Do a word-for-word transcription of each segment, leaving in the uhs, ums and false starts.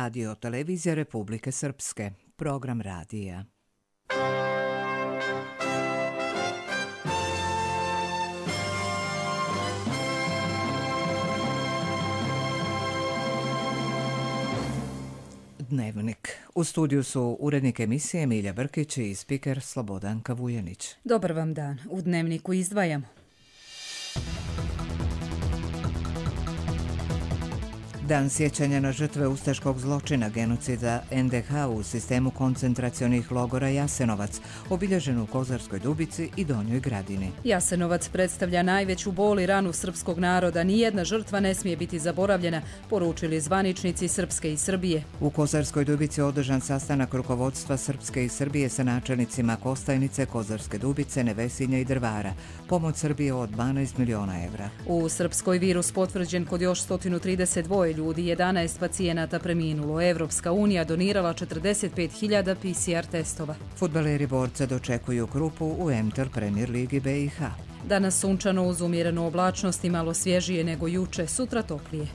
Radio Televizija Republike Srpske, program radija. Dnevnik. U studiju su urednik emisije Milja Brkić i spiker Slobodanka Vujanić. Dobar vam dan. U Dnevniku izdvajamo. Dan sjećanja na žrtve ustaškog zločina genocida en de ha u sistemu koncentracionih logora Jasenovac, obilježen u Kozarskoj Dubici i Donjoj Gradini. Jasenovac predstavlja najveću bol i ranu srpskog naroda. Nijedna žrtva ne smije biti zaboravljena, poručili zvaničnici Srpske i Srbije. U Kozarskoj Dubici održan sastanak rukovodstva Srpske i Srbije sa načelnicima Kostajnice, Kozarske Dubice, Nevesinja i Drvara. Pomoć Srbije od dvanaest miliona evra. U Srpskoj virus potvrđen kod još sto trideset dva ljudi, jedanaest pacijenata preminulo. Evropska unija donirala četrdeset pet hiljada pe ce er testova. Fudbaleri Borca dočekuju Krupu u Emtel Premier Ligi be i ha. Danas sunčano uz umjerenu oblačnost i malo svježije nego juče, sutra toplije.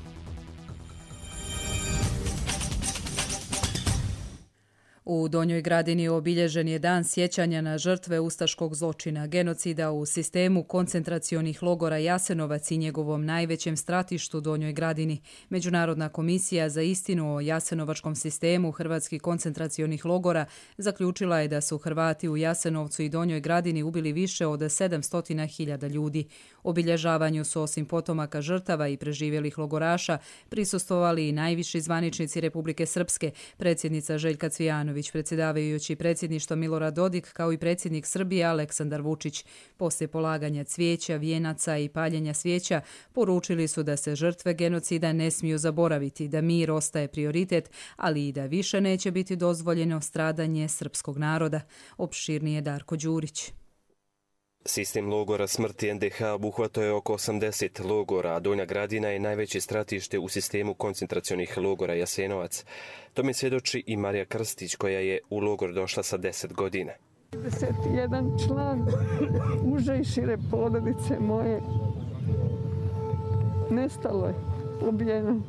U Donjoj Gradini obilježen je dan sjećanja na žrtve ustaškog zločina, genocida u sistemu koncentracionih logora Jasenovac i njegovom najvećem stratištu Donjoj Gradini. Međunarodna komisija za istinu o jasenovačkom sistemu hrvatskih koncentracionih logora zaključila je da su Hrvati u Jasenovcu i Donjoj Gradini ubili više od sedamsto hiljada ljudi. Obilježavanju su osim potomaka žrtava i preživjelih logoraša prisustvovali i najviši zvaničnici Republike Srpske, predsjednica Željka Cvijanović, predsjedavajući predsjedništvo Milorad Dodik, kao i predsjednik Srbije Aleksandar Vučić. Poslije polaganja cvijeća, vijenaca i paljenja svijeća poručili su da se žrtve genocida ne smiju zaboraviti, da mir ostaje prioritet, ali i da više neće biti dozvoljeno stradanje srpskog naroda. Opširnije Darko Đurić. Sistem logora smrti en de ha obuhvatao je oko osamdeset logora, a Donja Gradina je najveće stratište u sistemu koncentracionih logora Jasenovac. Tome svjedoči i Marija Krstić, koja je u logor došla sa deset godina. trideset jedan član uže i šire porodice moje nestalo je, ubijeno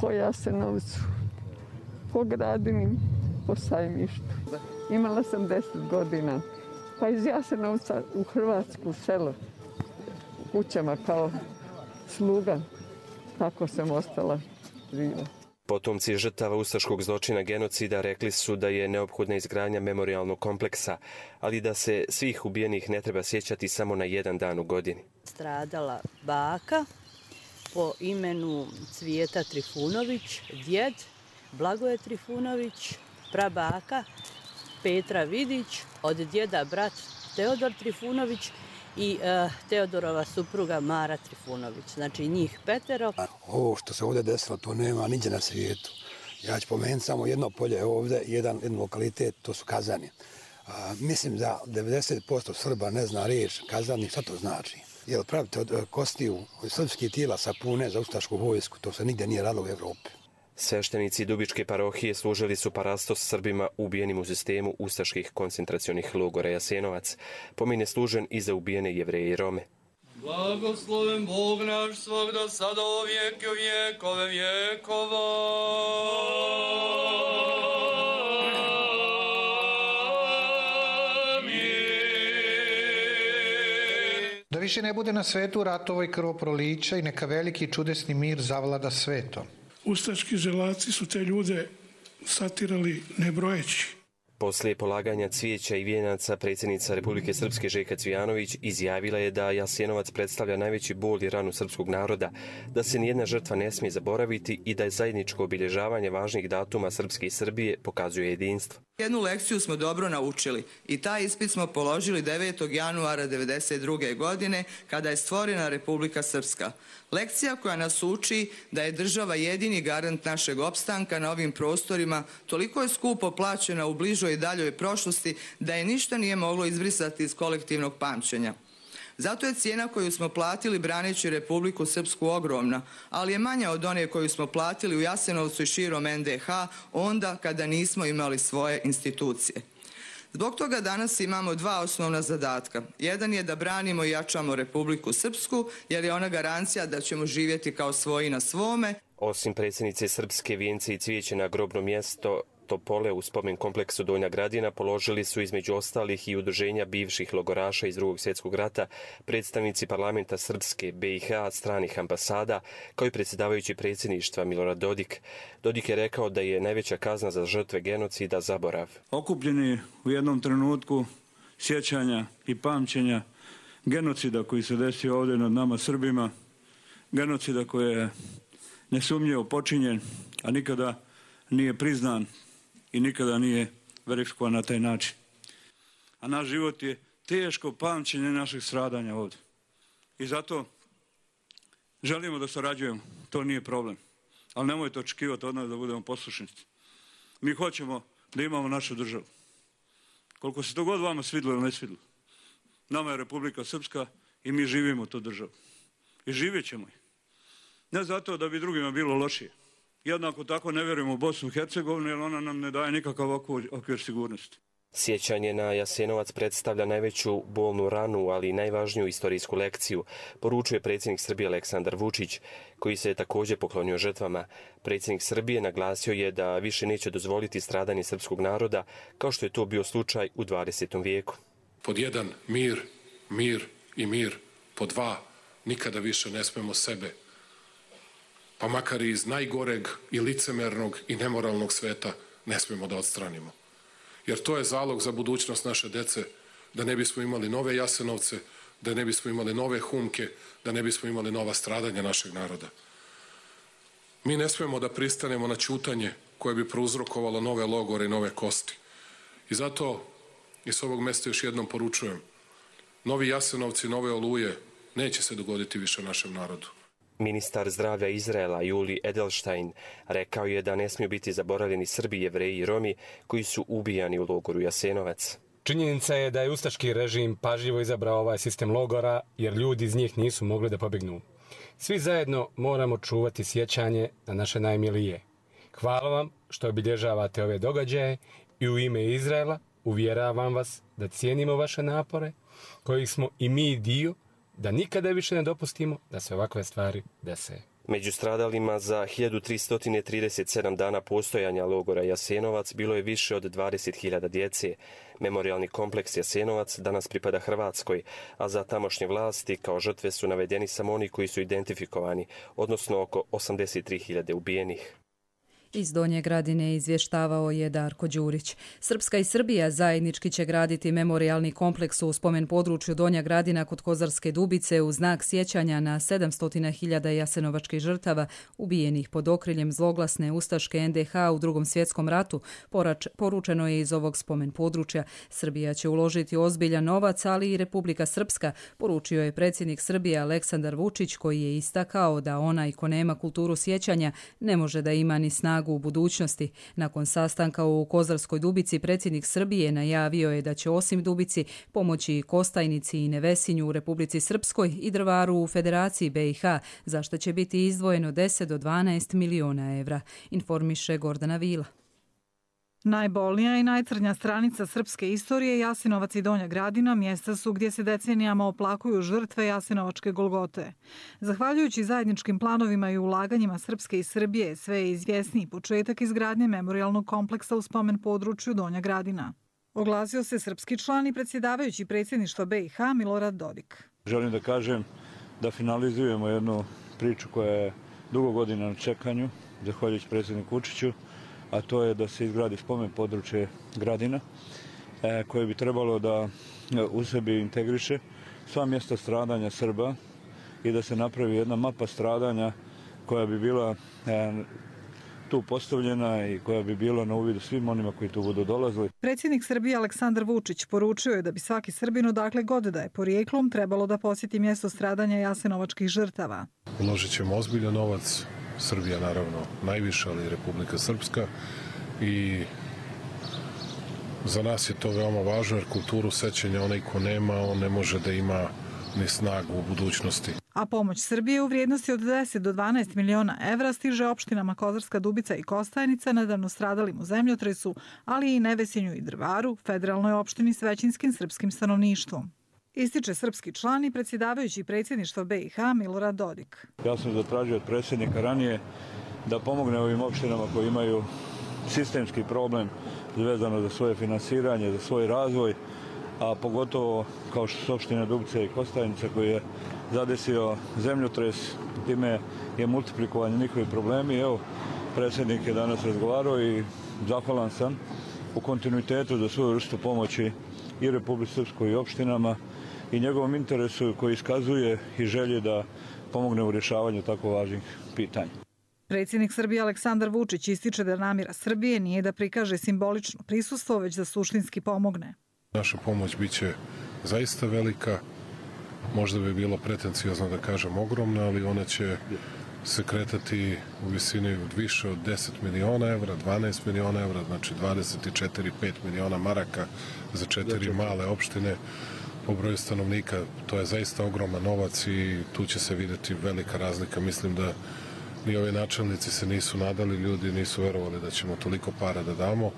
po Jasenovcu, po Gradini, po Sajmištu. Imala sam deset godina. Pa iz Jasenovca u Hrvatsku selo, u kućama kao sluga, tako sam ostala živa. Potomci žrtava ustaškog zločina genocida rekli su da je neophodna izgradnja memorijalnog kompleksa, ali da se svih ubijenih ne treba sjećati samo na jedan dan u godini. Stradala baka po imenu Cvijeta Trifunović, djed Blagoje Trifunović, prabaka Petra Vidić, od djeda brat Teodor Trifunović i uh, Teodorova supruga Mara Trifunović. Znači njih petero. Ovo što se ovdje desilo, to nema niđe na svijetu. Ja ću pomenuti samo jedno polje ovdje, jedan, jedan lokalitet, to su Kazani. A, mislim da devedeset posto Srba ne zna riječ Kazani, šta to znači? Jer pravite od kostiju srpskih tijela sapune za ustašku vojsku, to se nigdje nije radilo u Evropi. Sveštenici Dubičke parohije služili su parastos Srbima ubijenim u sistemu ustaških koncentracionih logora Jasenovac. Pomin je služen i za ubijene Jevreje i Rome. Blagosloven Bog naš svogda sada o vijeke vijekove vijekova. Da više ne bude na svetu ratova i krvoprolića i neka veliki i čudesni mir zavlada svetom. Ustaški želaci su te ljude satirali nebrojeći. Poslije polaganja cvijeća i vijenaca, predsjednica Republike Srpske Željka Cvijanović izjavila je da Jasenovac predstavlja najveći bol i ranu srpskog naroda, da se nijedna žrtva ne smije zaboraviti i da je zajedničko obilježavanje važnih datuma Srpske i Srbije pokazuje jedinstvo. Jednu lekciju smo dobro naučili i taj ispit smo položili devetog januara devedeset druge. godine kada je stvorena Republika Srpska. Lekcija koja nas uči da je država jedini garant našeg opstanka na ovim prostorima toliko je skupo plaćena u bližoj i daljoj prošlosti da je ništa nije moglo izbrisati iz kolektivnog pamćenja. Zato je cijena koju smo platili braneći Republiku Srpsku ogromna, ali je manja od one koju smo platili u Jasenovcu i širom en de ha onda kada nismo imali svoje institucije. Zbog toga danas imamo dva osnovna zadatka. Jedan je da branimo i jačamo Republiku Srpsku, jer je ona garancija da ćemo živjeti kao svoji na svome. Osim predsjednice Srpske, vijence i cvijeće na grobno mjesto Topole u spomen kompleksu Donja Gradina položili su između ostalih i udruženja bivših logoraša iz Drugog svjetskog rata, predstavnici parlamenta Srpske, B i H, stranih ambasada, kao i predsjedavajući predsjedništva Milorad Dodik. Dodik je rekao da je najveća kazna za žrtve genocida zaborav. Okupljeni u jednom trenutku sjećanja i pamćenja genocida koji se desio ovdje nad nama Srbima, genocida koji je nesumnjivo počinjen, a nikada nije priznan i nikada nije verifikovan na taj način. A naš život je teško pamćenje naših stradanja ovdje. I zato želimo da sarađujemo, to nije problem. Ali nemojte očekivati od nas da budemo poslušnici. Mi hoćemo da imamo našu državu. Koliko se to god vama svidlo ili ne svidlo. Nama je Republika Srpska i mi živimo tu državu. I živjet ćemo je. Ne zato da bi drugima bilo lošije. Jednako tako ne vjerujemo u Bosnu i Hercegovinu jer ona nam ne daje nikakav okvir sigurnosti. Sjećanje na Jasenovac predstavlja najveću bolnu ranu, ali i najvažniju istorijsku lekciju, poručuje predsjednik Srbije Aleksandar Vučić, koji se je također poklonio žrtvama. Predsjednik Srbije naglasio je da više neće dozvoliti stradanje srpskog naroda, kao što je to bio slučaj u dvadesetom vijeku. Pod jedan, mir, mir i mir. Pod dva, nikada više ne smemo sebe, pa makar i iz najgoreg i licemernog i nemoralnog sveta, ne smemo da odstranimo. Jer to je zalog za budućnost naše dece, da ne bismo imali nove Jasenovce, da ne bismo imali nove Humke, da ne bismo imali nova stradanja našeg naroda. Mi ne smemo da pristanemo na ćutanje koje bi prouzrokovalo nove logore i nove kosti. I zato i s ovog mjesta još jednom poručujem, novi Jasenovci, nove Oluje neće se dogoditi više našem narodu. Ministar zdravlja Izraela Juli Edelstein rekao je da ne smiju biti zaboravljeni Srbi, Jevreji i Romi koji su ubijani u logoru Jasenovac. Činjenica je da je ustaški režim pažljivo izabrao ovaj sistem logora jer ljudi iz njih nisu mogli da pobjegnu. Svi zajedno moramo čuvati sjećanje na naše najmilije. Hvala vam što obilježavate ove događaje i u ime Izraela uvjeravam vas da cijenimo vaše napore, kojih smo i mi dio, da nikada više ne dopustimo da se ovakve stvari dese. Među stradalima za hiljadu tristo trideset sedam dana postojanja logora Jasenovac bilo je više od dvadeset hiljada djece. Memorijalni kompleks Jasenovac danas pripada Hrvatskoj, a za tamošnje vlasti kao žrtve su navedeni samo oni koji su identifikovani, odnosno oko osamdeset tri hiljade ubijenih. Iz Donje Gradine izvještavao je Darko Đurić. Srpska i Srbija zajednički će graditi memorijalni kompleks u spomen području Donja Gradina kod Kozarske Dubice u znak sjećanja na sedamsto hiljada jasenovačkih žrtava ubijenih pod okriljem zloglasne ustaške en de ha u Drugom svjetskom ratu, porač, poručeno je iz ovog spomen područja. Srbija će uložiti ozbiljan novac, ali i Republika Srpska, poručio je predsjednik Srbije Aleksandar Vučić, koji je istakao da onaj ko nema kulturu sjećanja ne može da ima ni snagu u budućnosti. Nakon sastanka u Kozarskoj Dubici predsjednik Srbije najavio je da će osim Dubici pomoći Kostajnici i Nevesinju u Republici Srpskoj i Drvaru u Federaciji be i ha, za što će biti izdvojeno deset do dvanaest miliona evra, informiše Gordana Vila. Najbolnija i najcrnja stranica srpske istorije, Jasenovac i Donja Gradina, mjesta su gdje se decenijama oplakuju žrtve Jasenovačke Golgote. Zahvaljujući zajedničkim planovima i ulaganjima Srpske i Srbije, sve je izvjesniji početak izgradnje memorijalnog kompleksa u spomen području Donja Gradina. Oglasio se srpski član i predsjedavajući predsjedništva be i ha Milorad Dodik. Želim da kažem da finalizujemo jednu priču koja je dugo godina na čekanju, zahvaljujući predsjedniku Vučiću, a to je da se izgradi spomen područje Gradina, e, koje bi trebalo da u sebi integriše sva mjesta stradanja Srba i da se napravi jedna mapa stradanja koja bi bila e, tu postavljena i koja bi bila na uvidu svim onima koji tu budu dolazili. Predsjednik Srbije Aleksandar Vučić poručio je da bi svaki Srbin odakle god da je porijeklom trebalo da posjeti mjesto stradanja jasenovačkih žrtava. Uložit ćemo ozbiljan novac, Srbija naravno najviše, ali i Republika Srpska, i za nas je to veoma važno jer kulturu sećanja onaj ko nema, on ne može da ima ni snagu u budućnosti. A pomoć Srbije u vrijednosti od deset do dvanaest miliona evra stiže opštinama Kozarska Dubica i Kostajnica, nedavno stradalim u zemljotresu, ali i Nevesinju i Drvaru, federalnoj opštini s većinskim srpskim stanovništvom. Ističe srpski član i predsjedavajući predsjedništva B i H Milorad Dodik. Ja sam zatražio od predsjednika ranije da pomogne ovim opštinama koji imaju sistemski problem vezano za svoje finansiranje, za svoj razvoj, a pogotovo kao što su opštine Dubica i Kostajnica koji je zadesio zemljotres, time je multiplikovanje njihovi problemi. Evo, predsjednik je danas razgovarao i zahvalan sam u kontinuitetu za svoju vrstu pomoći i Republici Srpskoj i opštinama i njegovom interesu koji iskazuje i želje da pomogne u rješavanju tako važnih pitanja. Predsjednik Srbije Aleksandar Vučić ističe da namjera Srbije nije da prikaže simbolično prisustvo, već da suštinski pomogne. Naša pomoć biće zaista velika, možda bi bilo pretencijozno da kažem ogromna, ali ona će se kretati u visini od više od deset miliona evra, dvanaest miliona evra, znači dvadeset četiri do pet miliona maraka za četiri male opštine po broju stanovnika. To je zaista ogroman novac i tu će se vidjeti velika razlika. Mislim da ni ovi načelnici se nisu nadali, ljudi nisu verovali da ćemo toliko para da damo.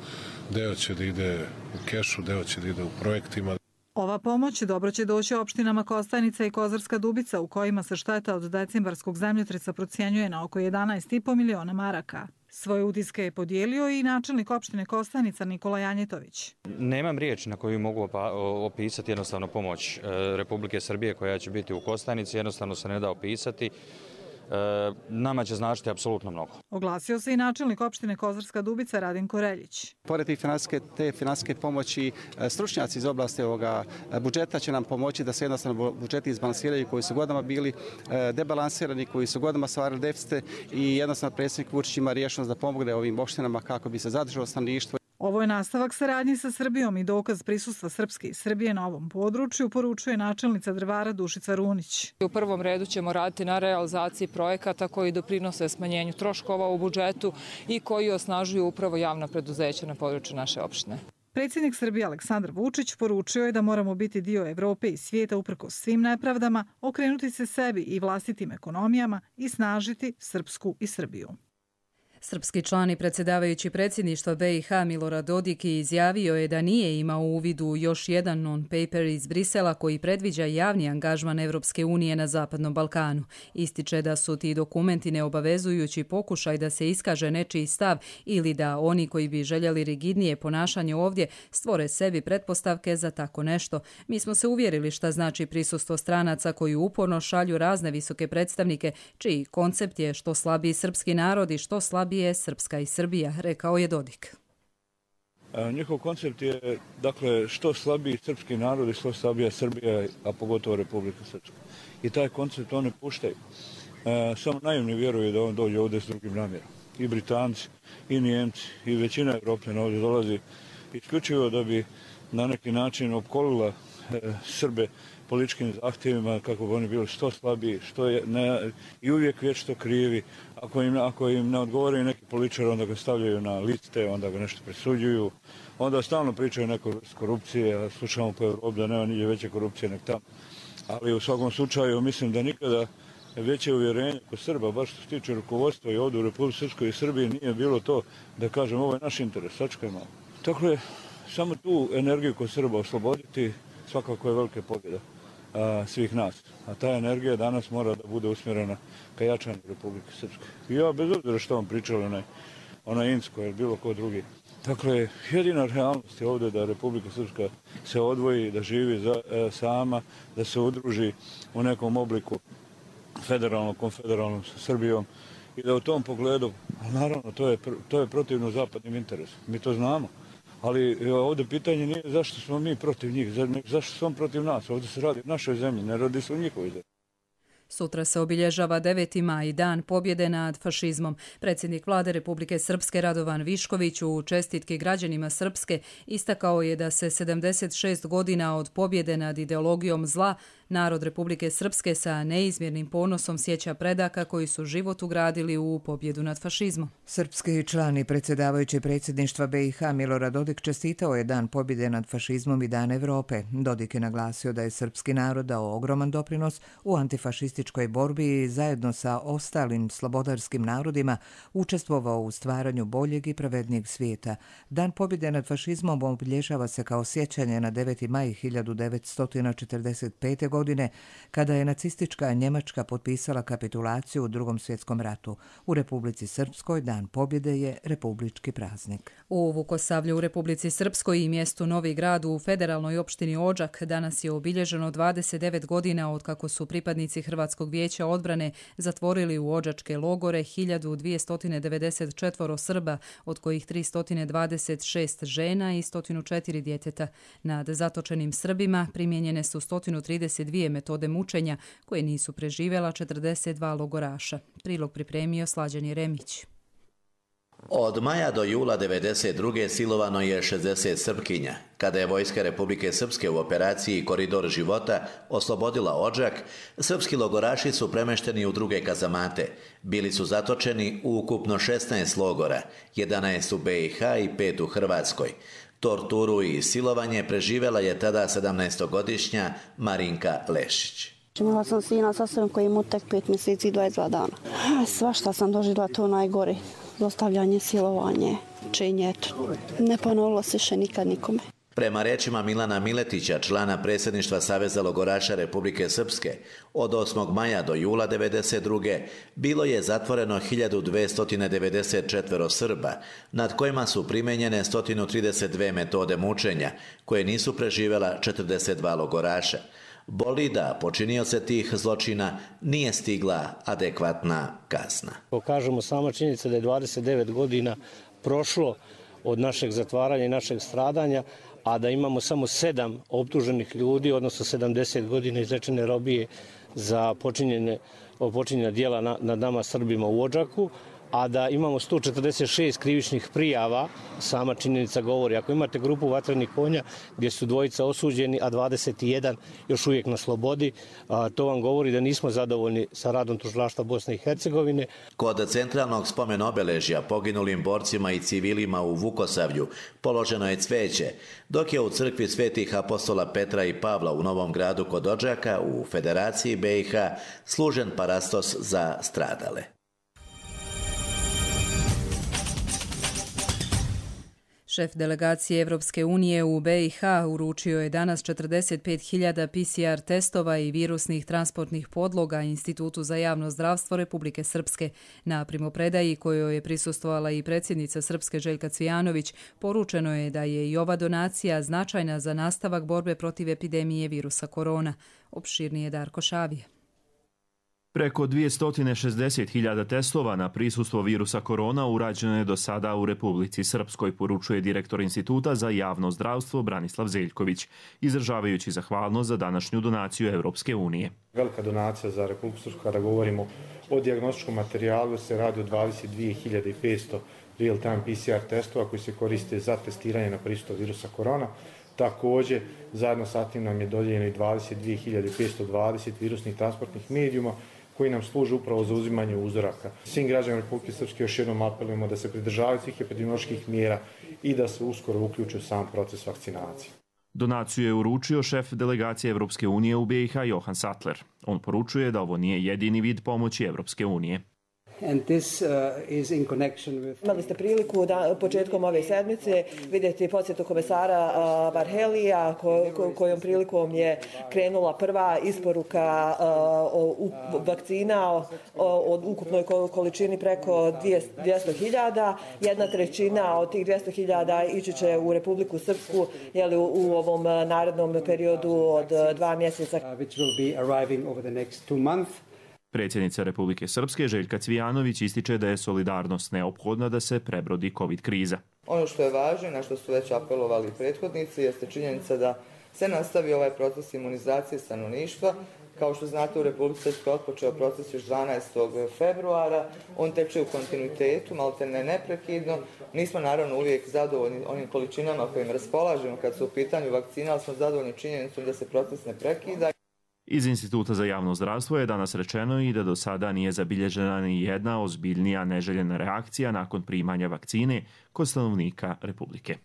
Deo će da ide u kešu, deo će da ide u projektima. Ova pomoć dobro će doći opštinama Kostajnica i Kozarska Dubica, u kojima se šteta od decembarskog zemljotresa procjenjuje na oko jedanaest i po miliona maraka. Svoje utiske je podijelio i načelnik opštine Kostajnica Nikola Janjetović. Nemam riječ na koju mogu opisati jednostavno pomoć Republike Srbije koja će biti u Kostajnici, jednostavno se ne da opisati. Nama će značiti apsolutno mnogo. Oglasio se i načelnik opštine Kozarska Dubica Radin Koreljić. Pored te finansijske pomoći, stručnjaci iz oblasti ovoga budžeta će nam pomoći da se jednostavno budžeti izbalansiraju koji su godinama bili debalansirani, koji su godinama stvarali deficite i jednostavno predsjednik Vučić ima rješenost da pomogne ovim opštinama kako bi se zadržalo stanovništvo. Ovo je nastavak saradnje sa Srbijom i dokaz prisustva Srpske i Srbije na ovom području, poručuje načelnica Drvara Dušica Runić. U prvom redu ćemo raditi na realizaciji projekata koji doprinose smanjenju troškova u budžetu i koji osnažuju upravo javna preduzeća na području naše opštine. Predsjednik Srbije Aleksandar Vučić poručio je da moramo biti dio Evrope i svijeta uprkos svim nepravdama, okrenuti se sebi i vlastitim ekonomijama i snažiti Srpsku i Srbiju. Srpski član i predsjedavajući predsjedništva B i H Milorad Dodik izjavio je da nije imao u vidu još jedan non-paper iz Brisela koji predviđa javni angažman Evropske unije na Zapadnom Balkanu. Ističe da su ti dokumenti neobavezujući pokušaj da se iskaže nečiji stav ili da oni koji bi željeli rigidnije ponašanje ovdje stvore sebi pretpostavke za tako nešto. Mi smo se uvjerili šta znači prisustvo stranaca koji uporno šalju razne visoke predstavnike, čiji koncept je što slabiji srpski narod i što slabiji je Srpska i Srbija, rekao je Dodik. Njihov koncept je, dakle, što slabiji srpski narod i što slabija Srbija, a pogotovo Republika Srpska. I taj koncept oni puštaju. E, samo naivni vjeruju da on dođe ovdje s drugim namjerom. I Britanci, i Nijemci, i većina Evropljana ovdje dolazi isključivo da bi na neki način opkolila e, Srbe političkim zahtjevima kako bi oni bili što slabiji, što je ne, i uvijek vječito krivi. Ako im, ako im ne odgovori neki političar, onda ga stavljaju na liste, onda ga nešto presuđuju, onda stalno pričaju neko korupcije, a slušamo po Evropi da nema niđe veće korupcije nek tamo. Ali u svakom slučaju mislim da nikada veće uvjerenje kod Srba, baš što se tiče rukovodstva i ovdje u Republici Srpskoj i Srbiji, nije bilo to da kažem ovo je naš interes, sačekaj malo. Tako je, samo tu energiju kod Srba osloboditi svakako je velika pobjeda a, svih nas. A ta energija danas mora da bude usmjerena ka jačanju Republike Srpske. I ja, bez obzira što vam pričali onaj, onaj Insko ili bilo ko drugi. Dakle, jedina realnost je ovdje da Republika Srpska se odvoji, da živi za, e, sama, da se udruži u nekom obliku federalno, konfederalno sa Srbijom i da u tom pogledu, naravno, to je, to je protivno zapadnim interesom. Mi to znamo. Ali ovdje pitanje nije zašto smo mi protiv njih, zašto su on protiv nas. Ovdje se radi o našoj zemlji, ne radi se o njihovoj zemlji. Sutra se obilježava deveti maj, dan pobjede nad fašizmom. Predsjednik vlade Republike Srpske Radovan Višković u čestitki građanima Srpske istakao je da se sedamdeset šest godina od pobjede nad ideologijom zla Narod Republike Srpske sa neizmjernim ponosom sjeća predaka koji su život ugradili u pobjedu nad fašizmom. Srpski član i predsjedavajući predsjedništva B i H Milorad Dodik čestitao je Dan pobjede nad fašizmom i Dan Evrope. Dodik je naglasio da je srpski narod dao ogroman doprinos u antifašističkoj borbi i zajedno sa ostalim slobodarskim narodima učestvovao u stvaranju boljeg i pravednijeg svijeta. Dan pobjede nad fašizmom obilježava se kao sjećanje na deveti maj hiljadu devetsto četrdeset pete. godine, kada je nacistička Njemačka potpisala kapitulaciju u Drugom svjetskom ratu. U Republici Srpskoj Dan pobjede je republički praznik. U Vukosavlju u Republici Srpskoj i mjestu Novi Grad u federalnoj opštini Odžak danas je obilježeno dvadeset devet godina od kako su pripadnici Hrvatskog vijeća odbrane zatvorili u odžačke logore hiljadu dvjesto devedeset četiri Srba, od kojih tristo dvadeset šest žena i sto četiri djeteta. Nad zatočenim Srbima primijenjene su sto trideset dvije metode mučenja koje nisu preživjela četrdeset dva logoraša. Prilog pripremio Slađan Jeremić. Od maja do jula devedeset druge silovano je šezdeset Srpkinja. Kada je vojska Republike Srpske u operaciji Koridor života oslobodila Odžak, srpski logoraši su premešteni u druge kazamate. Bili su zatočeni u ukupno šesnaest logora, jedanaest u B i H i pet u Hrvatskoj. Torturu i silovanje preživjela je tada sedamnaestogodišnja Marinka Lešić. Imala sam sina sa sobom koji ima tek pet mjeseci i dvadeset dva dana. Svašta sam doživjela, to najgore. Zlostavljanje, silovanje, činje. Ne ponovilo se še nikad nikome. Prema rečima Milana Miletića, člana predsjedništva Saveza logoraša Republike Srpske, od osmog maja do jula devedeset druge bilo je zatvoreno hiljadu dvjesto devedeset četiri Srba, nad kojima su primenjene sto trideset dvije metode mučenja, koje nisu preživjela četrdeset dva logoraša. Boli da počinioce tih zločina nije stigla adekvatna kazna. Kažemo, sama činjenica da je dvadeset devet godina prošlo od našeg zatvaranja i našeg stradanja, a da imamo samo sedam optuženih ljudi, odnosno sedamdeset godina izrečene robije za počinjene, počinjena djela na, nad nama Srbima u Odžaku, a da imamo sto četrdeset šest krivičnih prijava, sama činjenica govori. Ako imate grupu vatrenih konja gdje su dvojica osuđeni, a dvadeset jedan još uvijek na slobodi, to vam govori da nismo zadovoljni sa radom tužilaštva Bosne i Hercegovine. Kod centralnog spomen obeležja poginulim borcima i civilima u Vukosavlju položeno je cveće, dok je u crkvi svetih apostola Petra i Pavla u Novom Gradu kod Odžaka u Federaciji B i H služen parastos za stradale. Šef delegacije Evropske unije u B i H uručio je danas četrdeset pet hiljada P C R testova i virusnih transportnih podloga Institutu za javno zdravstvo Republike Srpske. Na primopredaji kojoj je prisustvovala i predsjednica Srpske Željka Cvijanović, poručeno je da je i ova donacija značajna za nastavak borbe protiv epidemije virusa korona. Opširnije Darko Šavije. Preko dvjesto šezdeset hiljada testova na prisustvo virusa korona urađeno je do sada u Republici Srpskoj, poručuje direktor Instituta za javno zdravstvo Branislav Zeljković, izražavajući zahvalnost za današnju donaciju Evropske unije. Velika donacija za Republiku Srpsku, kada govorimo o dijagnostičkom materijalu, se radi o dvadeset dvije hiljade petsto real-time P C R testova koji se koriste za testiranje na prisustvo virusa korona. Također, zajedno sa tim nam je dodijeljeno i dvadeset dvije hiljade petsto dvadeset virusnih transportnih medijuma koji nam služe upravo za uzimanje uzoraka. Svim građanima Republike Srpske još jednom apelujemo da se pridržavaju svih epidemioloških mjera i da se uskoro uključe u sam proces vakcinacije. Donaciju je uručio šef delegacije Evropske unije u B i H Johan Sattler. On poručuje da ovo nije jedini vid pomoći Evropske unije. And this, uh, is in connection with... Imali ste priliku da početkom ove sedmice vidjeti posjetu komesara uh, Varhelija, ko, ko, kojom prilikom je krenula prva isporuka uh, o, u, vakcina o, o, od ukupnoj količini preko dvjesto hiljada. Jedna trećina od tih dvjesto hiljada ići će u Republiku Srpsku, jeli, u, u ovom narednom periodu od dva mjeseca. Uh, which will be arriving over the next two months. Predsjednica Republike Srpske Željka Cvijanović ističe da je solidarnost neophodna da se prebrodi COVID kriza. Ono što je važno, na što su već apelovali prethodnici, jeste činjenica da se nastavi ovaj proces imunizacije stanovništva. Kao što znate, u Republici Srpskoj otpočeo proces još dvanaestog februara. On teče u kontinuitetu, maltene neprekidno. Nismo naravno uvijek zadovoljni onim količinama kojim raspolažemo kad su u pitanju vakcina, ali smo zadovoljni činjenicom da se proces ne prekida. Iz Instituta za javno zdravstvo je danas rečeno i da do sada nije zabilježena ni jedna ozbiljnija neželjena reakcija nakon primanja vakcine kod stanovnika Republike.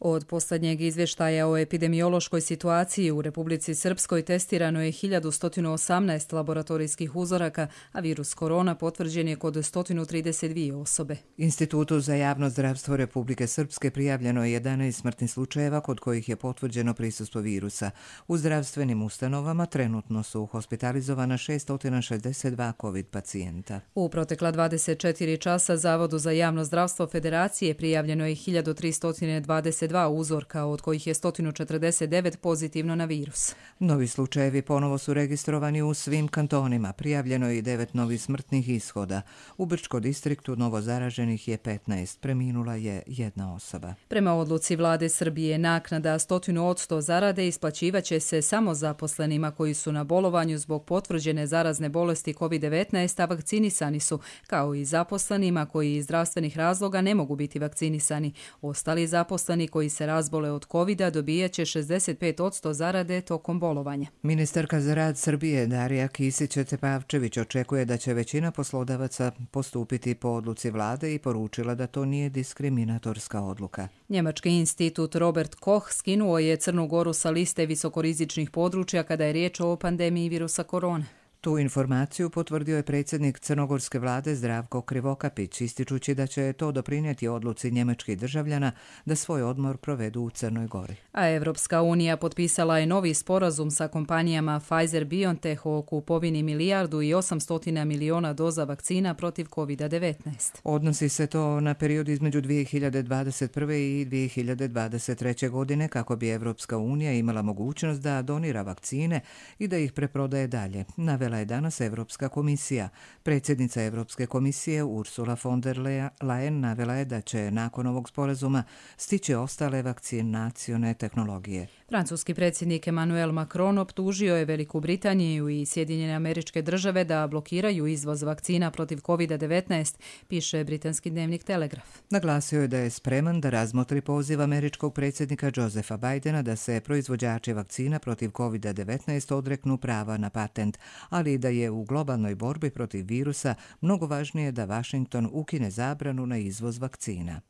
Od posljednjeg izvještaja o epidemiološkoj situaciji u Republici Srpskoj testirano je hiljadu sto osamnaest laboratorijskih uzoraka, a virus korona potvrđen je kod sto trideset dvije osobe. Institutu za javno zdravstvo Republike Srpske prijavljeno je jedanaest smrtnih slučajeva kod kojih je potvrđeno prisustvo virusa. U zdravstvenim ustanovama trenutno su hospitalizovana šesto šezdeset dva COVID pacijenta. U protekla dvadeset četiri časa Zavodu za javno zdravstvo Federacije prijavljeno je hiljadu tristo dvadeset dva uzorka, od kojih je sto četrdeset devet pozitivno na virus. Novi slučajevi ponovo su registrovani u svim kantonima. Prijavljeno je i devet novih smrtnih ishoda. U Brčko distriktu novo zaraženih je petnaest. Preminula je jedna osoba. Prema odluci vlade Srbije, naknada stotinu od sto zarade isplaćivaće se samo zaposlenima koji su na bolovanju zbog potvrđene zarazne bolesti kovid devetnaest, a vakcinisani su, kao i zaposlenima koji iz zdravstvenih razloga ne mogu biti vakcinisani. Ostali zaposleni koji se razbole od kovida dobijaće šezdeset pet posto zarade tokom bolovanja. Ministarka za rad Srbije Darija Kisić-Tepavčević očekuje da će većina poslodavaca postupiti po odluci vlade i poručila da to nije diskriminatorska odluka. Njemački institut Robert Koch skinuo je Crnu Goru sa liste visokorizičnih područja kada je riječ o pandemiji virusa korone. Tu informaciju potvrdio je predsjednik crnogorske vlade Zdravko Krivokapić, ističući da će to doprinijeti odluci njemačkih državljana da svoj odmor provedu u Crnoj Gori. A Evropska unija potpisala je novi sporazum sa kompanijama Pfizer-BioNTech o kupovini milijardu i osamsto miliona doza vakcina protiv kovid devetnaest. Odnosi se to na period između dvije hiljade dvadeset prve i dvije hiljade dvadeset treće godine kako bi Evropska unija imala mogućnost da donira vakcine i da ih preprodaje dalje. Navela je danas Evropska komisija. Predsjednica Evropske komisije Ursula von der Leyen navela je da će nakon ovog sporazuma stići ostale vakcinacione tehnologije. Francuski predsjednik Emmanuel Macron optužio je Veliku Britaniju i Sjedinjene Američke Države da blokiraju izvoz vakcina protiv kovid devetnaest, piše britanski dnevnik Telegraf. Naglasio je da je spreman da razmotri poziv američkog predsjednika Josepha Bidena da se proizvođači vakcina protiv kovid devetnaest odreknu prava na patent, ali i da je u globalnoj borbi protiv virusa mnogo važnije da Washington ukine zabranu na izvoz vakcina.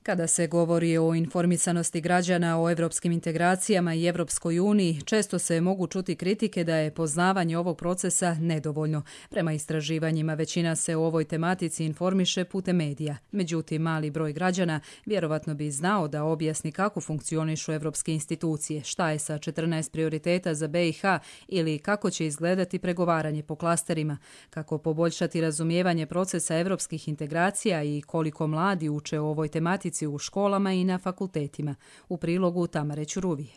Kada se govori o informisanosti građana o evropskim integracijama i Evropskoj uniji, često se mogu čuti kritike da je poznavanje ovog procesa nedovoljno. Prema istraživanjima većina se o ovoj tematici informiše putem medija. Međutim, mali broj građana vjerovatno bi znao da objasni kako funkcionišu evropske institucije, šta je sa četrnaest prioriteta za B i H ili kako će izgledati pregovaranje po klasterima, kako poboljšati razumijevanje procesa evropskih integracija i koliko mladi uče o ovoj tematici u školama i na fakultetima. U prilogu Tamare Ćuruvije.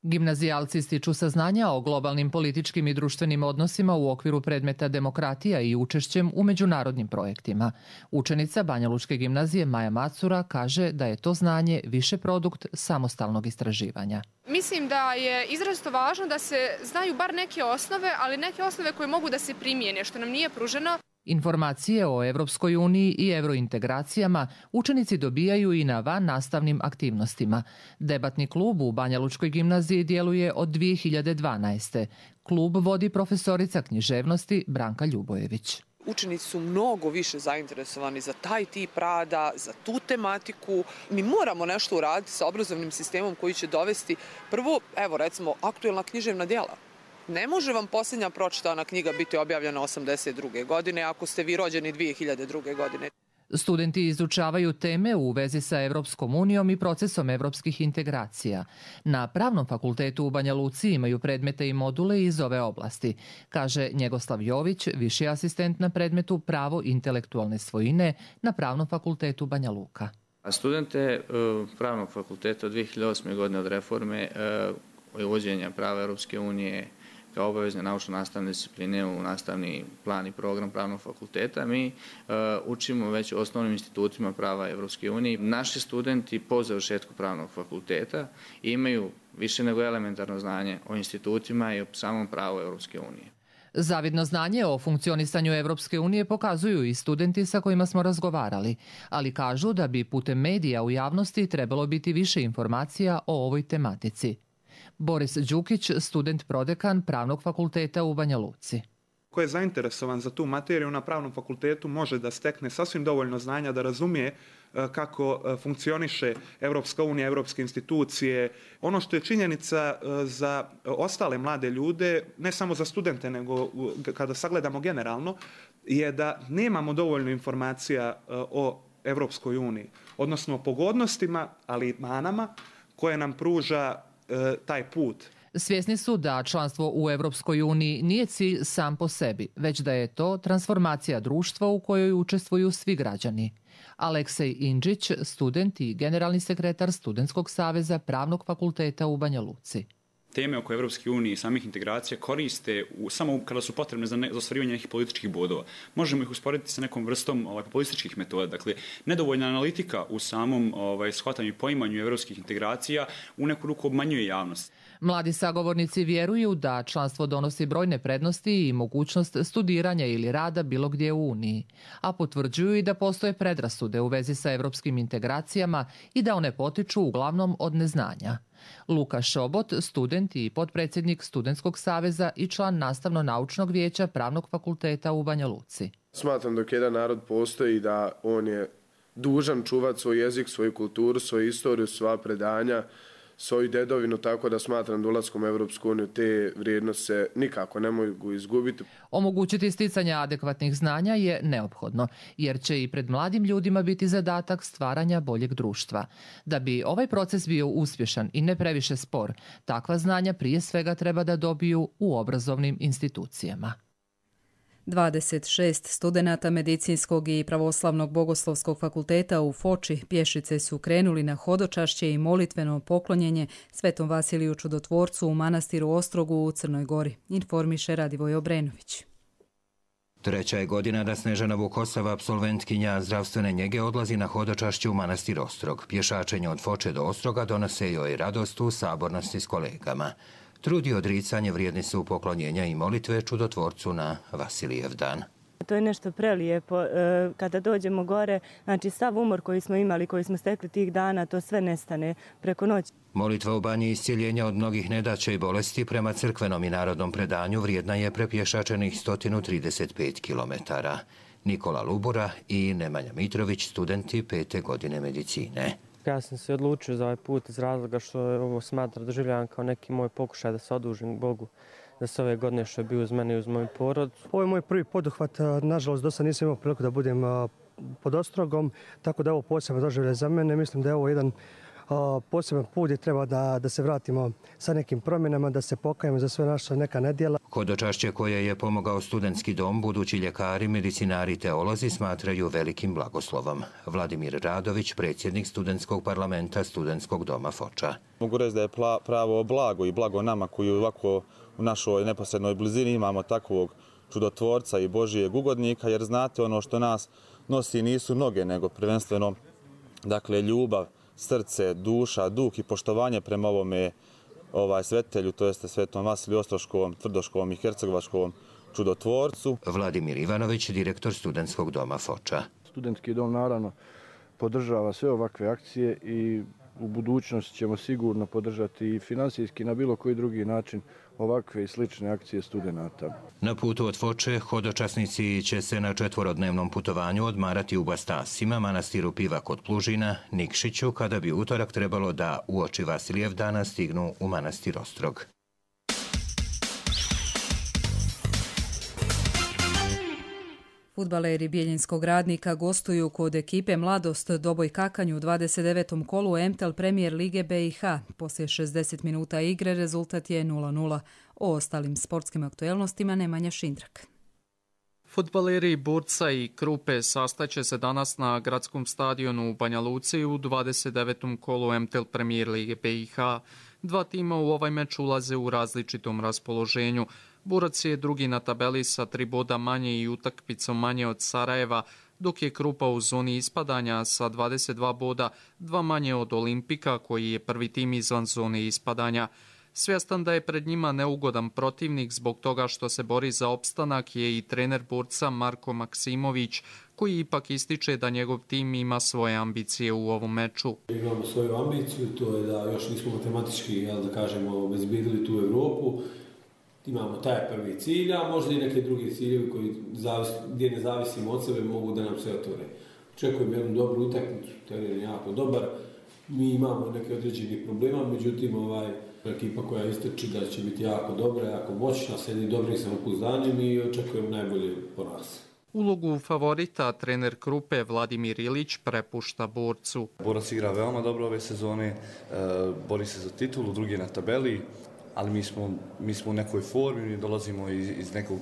Gimnazijalci stiču saznanja o globalnim političkim i društvenim odnosima u okviru predmeta demokratija i učešćem u međunarodnim projektima. Učenica Banjalučke gimnazije Maja Macura kaže da je to znanje više produkt samostalnog istraživanja. Mislim da je izrazito važno da se znaju bar neke osnove, ali neke osnove koje mogu da se primijene, što nam nije pruženo. Informacije o Evropskoj uniji i evrointegracijama učenici dobijaju i na van nastavnim aktivnostima. Debatni klub u Banjalučkoj gimnaziji djeluje od dvije hiljade dvanaeste. Klub vodi profesorica književnosti Branka Ljubojević. Učenici su mnogo više zainteresovani za taj tip rada, za tu tematiku. Mi moramo nešto uraditi sa obrazovnim sistemom koji će dovesti prvo, evo recimo, aktuelna književna djela. Ne može vam posljednja pročitana knjiga biti objavljena osamdeset druge godine ako ste vi rođeni dvije hiljade druge godine. Studenti izučavaju teme u vezi sa Evropskom unijom i procesom evropskih integracija. Na Pravnom fakultetu u Banja Luci imaju predmete i module iz ove oblasti, kaže Njegoslav Jović, viši asistent na predmetu Pravo intelektualne svojine na Pravnom fakultetu Banja Luka. Studente Pravnog fakulteta od dvije hiljade osme. godine od reforme uvođenja prava Evropske unije kao obavezne naučno-nastavne discipline u nastavni plan i program Pravnog fakulteta. Mi uh, učimo već u osnovnim institutima prava Evropske unije. Naši studenti po završetku Pravnog fakulteta imaju više nego elementarno znanje o institutima i o samom pravu Evropske unije. Zavidno znanje o funkcionisanju Evropske unije pokazuju i studenti sa kojima smo razgovarali, ali kažu da bi putem medija u javnosti trebalo biti više informacija o ovoj tematici. Boris Đukić, student prodekan Pravnog fakulteta u Banja Luci. Ko je zainteresovan za tu materiju na Pravnom fakultetu može da stekne sasvim dovoljno znanja da razumije kako funkcioniše Evropska unija, evropske institucije. Ono što je činjenica za ostale mlade ljude, ne samo za studente, nego kada sagledamo generalno, je da nemamo dovoljno informacija o Evropskoj uniji, odnosno o pogodnostima, ali i manama koje nam pruža taj put. Svjesni su da članstvo u Evropskoj uniji nije cilj sam po sebi, već da je to transformacija društva u kojoj učestvuju svi građani. Aleksej Indžić, student i generalni sekretar Studentskog saveza Pravnog fakulteta u Banja Luci. Teme oko Evropske unije i samih integracija koriste u, samo kada su potrebne za, ne, za ostvarivanje nekih političkih bodova. Možemo ih usporediti sa nekom vrstom ovaj, populističkih metoda. Dakle, nedovoljna analitika u samom ovaj, shvatanju i poimanju evropskih integracija u neku ruku obmanjuje javnost. Mladi sagovornici vjeruju da članstvo donosi brojne prednosti i mogućnost studiranja ili rada bilo gdje u Uniji, a potvrđuju i da postoje predrasude u vezi sa evropskim integracijama i da one potiču uglavnom od neznanja. Luka Šobot, student i potpredsjednik Studentskog saveza i član nastavno-naučnog vijeća Pravnog fakulteta u Banja Luci. Smatram dok jedan narod postoji da on je dužan čuvati svoj jezik, svoju kulturu, svoju istoriju, sva predanja, svoju dedovinu, tako da smatram da ulaskom u Evropsku uniju te vrijednosti se nikako ne mogu izgubiti. Omogućiti sticanje adekvatnih znanja je neophodno, jer će i pred mladim ljudima biti zadatak stvaranja boljeg društva. Da bi ovaj proces bio uspješan i ne previše spor, takva znanja prije svega treba da dobiju u obrazovnim institucijama. dvadeset šest studenata Medicinskog i Pravoslavnog bogoslovskog fakulteta u Foči pješice su krenuli na hodočašće i molitveno poklonjenje Svetom Vasiliju Čudotvorcu u manastiru Ostrogu u Crnoj Gori, informiše Radivoj Obrenović. Treća je godina da Snežana Vukosava, apsolventkinja zdravstvene njege, odlazi na hodočašće u manastir Ostrog. Pješačenje od Foče do Ostroga donose joj radost u sabornosti s kolegama. Trud i odricanje vrijedni su poklonjenja i molitve Čudotvorcu na Vasilijev dan. To je nešto prelijepo. Kada dođemo gore, znači sav umor koji smo imali, koji smo stekli tih dana, to sve nestane preko noći. Molitva u banji iscijeljenja od mnogih nedaća i bolesti prema crkvenom i narodnom predanju vrijedna je prepješačenih sto trideset pet kilometara. Nikola Lubura i Nemanja Mitrović, studenti pete godine medicine. Ja sam se odlučio za ovaj put iz razloga što ovo smatra doživljavam kao neki moj pokušaj da se odužim Bogu za sve ove godine što je bio uz mene i uz moju porodicu. Ovo je moj prvi poduhvat, nažalost do sad nisam imao priliku da budem pod Ostrogom, tako da je ovo posebno doživljaj za mene. Mislim da je ovo jedan poseban put gdje treba da, da se vratimo sa nekim promjenama, da se pokajemo za sve naša neka nedjela. Hodočašće koje je pomogao studentski dom, budući ljekari, medicinari i teolozi smatraju velikim blagoslovom. Vladimir Radović, predsjednik studentskog parlamenta Studentskog doma Foča. Mogu reći da je pravo blago i blago nama koji ovako u našoj neposrednoj blizini imamo takvog čudotvorca i Božijeg ugodnika, jer znate ono što nas nosi nisu noge, nego prvenstveno dakle ljubav, srce, duša, duh i poštovanje prema ovome ovaj svetelju, to jeste Svetom Vasiliju Ostroškovom, Tvrdoškovom i Hercegovačkovom čudotvorcu. Vladimir Ivanović, direktor Studentskog doma Foča. Studentski dom naravno podržava sve ovakve akcije i u budućnosti ćemo sigurno podržati i finansijski na bilo koji drugi način ovakve i slične akcije studenata. Na putu od Foče hodočasnici će se na četvorodnevnom putovanju odmarati u Bastasima, manastiru Piva kod Plužina, Nikšiću, kada bi utorak trebalo da uoči Vasilijev dana stignu u manastir Ostrog. Fudbaleri Bijeljinskog Radnika gostuju kod ekipe Mladost Doboj Kakanj u dvadeset devetom kolu M T L Premier Lige B i H. Poslije šezdeset minuta igre rezultat je nula nula. O ostalim sportskim aktuelnostima Nemanja Šindrak. Fudbaleri Burca i Krupe sastaće se danas na gradskom stadionu u Banja Luci u dvadeset devetom kolu M T L Premier Lige B i H. Dva tima u ovaj meč ulaze u različitom raspoloženju. Burac je drugi na tabeli sa tri boda manje i utakmicom manje od Sarajeva, dok je Krupa u zoni ispadanja sa dvadeset dva boda, dva manje od Olimpika koji je prvi tim izvan zone ispadanja. Svjestan da je pred njima neugodan protivnik zbog toga što se bori za opstanak je i trener Burca Marko Maksimović, koji ipak ističe da njegov tim ima svoje ambicije u ovom meču. Imamo svoju ambiciju, to je da još nismo matematički, jel, da kažemo, obezbedili tu Evropu. Imamo taj prvi cilj, a možda i neke druge ciljevi koji zavis, gdje ne zavisimo od sebe mogu da nam se otvore. Očekujem jednu dobru utakmicu, teren je jako dobar. Mi imamo neke određenih problema, međutim ovaj, ekipa koja ističe da će biti jako dobra, jako moćna, s jednim dobrim samopouzdanjem i očekujem najbolje po nas. Ulogu favorita trener Krupe Vladimir Ilić prepušta Borcu. Borac igra veoma dobro ove sezone, bori se za titulu, drugi je na tabeli, ali mi smo, mi smo u nekoj formi, mi dolazimo iz, iz nekog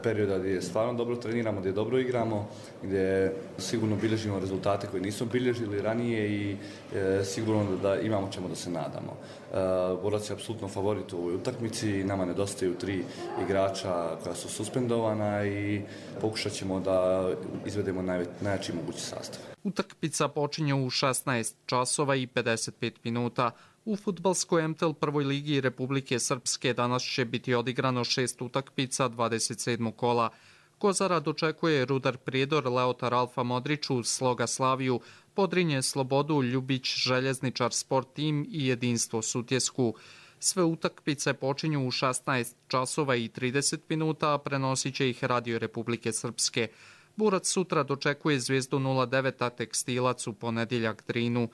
perioda gdje stvarno dobro treniramo, gdje dobro igramo, gdje sigurno bilježimo rezultate koje nismo bilježili ranije i e, sigurno da imamo čemu da se nadamo. E, Borac je apsolutno favorit u ovoj utakmici, nama nedostaju tri igrača koja su suspendovana i pokušat ćemo da izvedemo najve, najjači mogući sastav. Utakmica počinje u šesnaest časova i pedeset pet minuta. U fudbalskoj em te el prvoj ligi Republike Srpske danas će biti odigrano šest utakmica dvadeset sedmog kola. Kozara dočekuje Rudar Prijedor, Leotar Alfa Modrić uz Sloga Slaviju, Podrinje Slobodu, Ljubić Željezničar Sport Tim i Jedinstvo Sutjesku. Sve utakmice počinju u šesnaest časova i trideset minuta, a prenosit će ih Radio Republike Srpske. Borac sutra dočekuje Zvijezdu nula devet, a Tekstilac u ponedjeljak Drinu.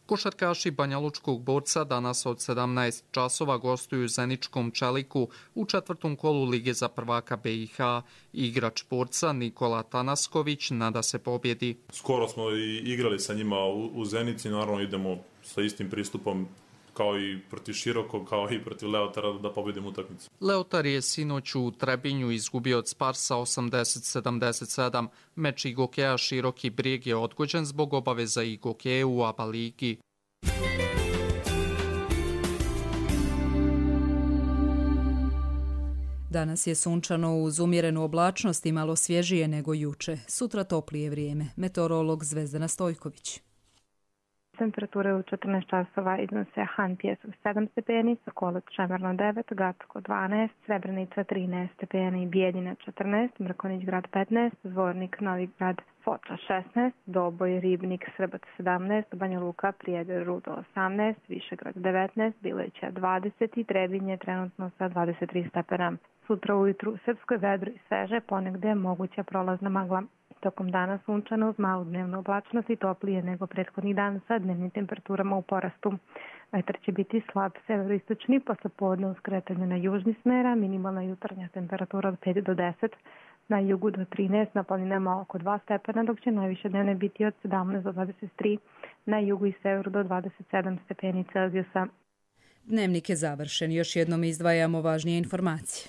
Košarkaši Banjalučkog Borca danas od sedamnaest časova gostuju Zeničkom Čeliku u četvrtom kolu Lige za prvaka be i ha. Igrač Borca Nikola Tanasković nada se pobjedi. Skoro smo i igrali sa njima u, u Zenici, naravno idemo sa istim pristupom kao i protiv Širokog, kao i protiv Leotara da pobjedimo utakmicu. Leotar je sinoć u Trebinju izgubio od Sparsa osamdeset sedamdeset sedam. Meč Igokeja Široki Brijeg je odgođen zbog obaveza Igokeje u A B A ligi. Danas je sunčano uz umjerenu oblačnost i malo svježije nego juče. Sutra toplije vrijeme. Meteorolog Zvezdana Stojković. Temperature u četrnaest časova iznose Han Pjesov sedam stepeni, Sokolac Šemerno devet, Gacko dvanaest, Srebrenica trinaest stepeni, Bijeljina četrnaest, Mrkonić grad petnaest, Zvornik Novi grad Foča šesnaest, Doboj Ribnik Srbac sedamnaest, Banja Luka Prijedor Rudo osamnaest, Višegrad devetnaest, Bileća dvadeset i Trebinje trenutno sa dvadeset tri stepena. Sutra ujutru u Srpskoj vedro i sveže, ponegde je moguća prolazna magla. Tokom dana sunčano uz malu dnevnu oblačnost i toplije nego prethodnih dana sa dnevnim temperaturama u porastu. Vetar će biti slab severoistočni, posle podne uz kretanje na južni smera, minimalna jutarnja temperatura od pet do deset, na jugu do trinaest, na planinama oko dva stepena, dok će najviše dnevne biti od sedamnaest do dvadeset tri, na jugu i severu do dvadeset sedam stepeni Celzijusa. Dnevnik je završen, još jednom izdvajamo važnije informacije.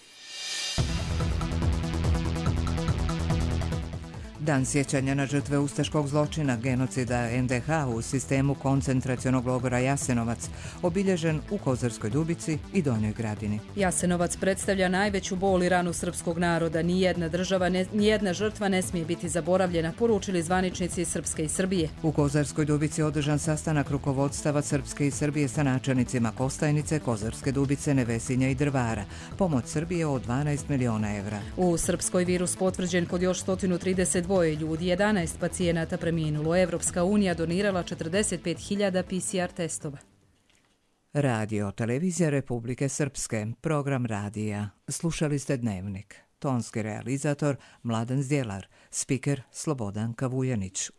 Dan sjećanja na žrtve ustaškog zločina, genocida en de ha u sistemu koncentracionog logora Jasenovac, obilježen u Kozarskoj Dubici i Donjoj Gradini. Jasenovac predstavlja najveću bol i ranu srpskog naroda. Nijedna država, ne, nijedna žrtva ne smije biti zaboravljena, poručili zvaničnici Srpske i Srbije. U Kozarskoj Dubici održan sastanak rukovodstava Srpske i Srbije sa načelnicima Kostajnice, Kozarske Dubice, Nevesinja i Drvara. Pomoć Srbije od dvanaest miliona evra. U Srpskoj virus potvrđen kod još sto trideset dvoje ljudi, jedanaest pacijenata preminulo. Evropska unija donirala četrdeset pet hiljada pe ce er testova. Radio Televizija Republike Srpske, program radija. Slušali ste Dnevnik. Tonski realizator Mladen Zdjelar, spiker Slobodan Kavujanić.